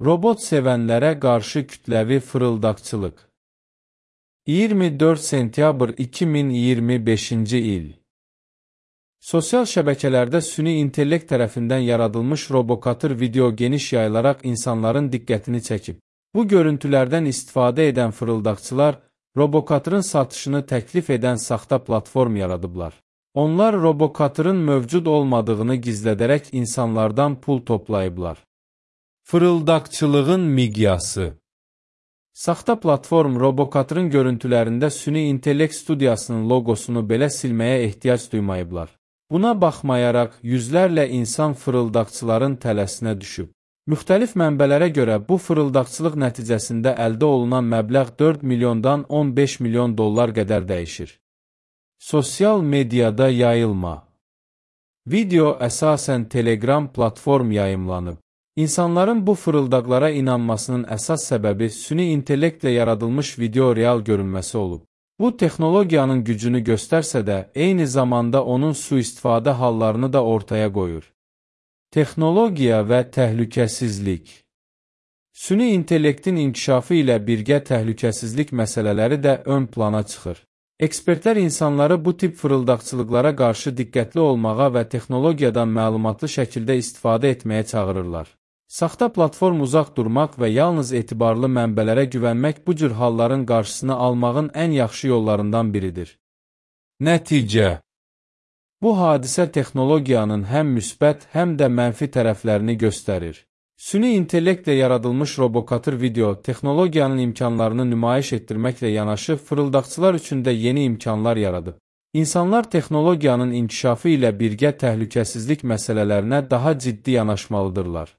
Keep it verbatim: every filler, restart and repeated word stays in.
Robot sevənlərə qarşı kütləvi fırıldaqçılıq. iyirmi dörd sentyabr iki min iyirmi beşinci il. Sosial şəbəkələrdə süni intellekt tərəfindən yaradılmış robokatır video geniş yayılaraq insanların diqqətini çəkib. Bu görüntülərdən istifadə edən fırıldaqçılar, robokatırın satışını təklif edən saxta platform yaradıblar. Onlar robokatırın mövcud olmadığını gizlədərək insanlardan pul toplayıblar. Fırıldaqçılığın miqyası. Saxta platform robokatırın görüntülərində süni intellekt studiyasının loqosunu belə silməyə ehtiyac duymayıblar. Buna baxmayaraq, yüzlərlə insan fırıldaqçıların tələsinə düşüb. Müxtəlif mənbələrə görə bu fırıldaqçılıq nəticəsində əldə olunan məbləğ dörd milyondan on beş milyon dollar qədər dəyişir. Sosial mediada yayılma. Video əsasən Telegram platform yayımlanıb. İnsanların bu fırıldaqlara inanmasının əsas səbəbi süni intellektlə yaradılmış video real görünməsi olub. Bu, texnologiyanın gücünü göstərsə də, eyni zamanda onun sui-istifadə hallarını da ortaya qoyur. Texnologiya və təhlükəsizlik. Süni intellektin inkişafı ilə birgə təhlükəsizlik məsələləri də ön plana çıxır. Ekspertlər insanları bu tip fırıldaqçılıqlara qarşı diqqətli olmağa və texnologiyadan məlumatlı şəkildə istifadə etməyə çağırırlar. Saxta platform uzaq durmaq və yalnız etibarlı mənbələrə güvənmək bu cür halların qarşısını almağın ən yaxşı yollarından biridir. Nəticə. Bu hadisə texnologiyanın həm müsbət, həm də mənfi tərəflərini göstərir. Süni intellektlə yaradılmış robokatır video, texnologiyanın imkanlarını nümayiş etdirməklə yanaşı, fırıldaqçılar üçün də yeni imkanlar yaradıb. İnsanlar texnologiyanın inkişafı ilə birgə təhlükəsizlik məsələlərinə daha ciddi yanaşmalıdırlar.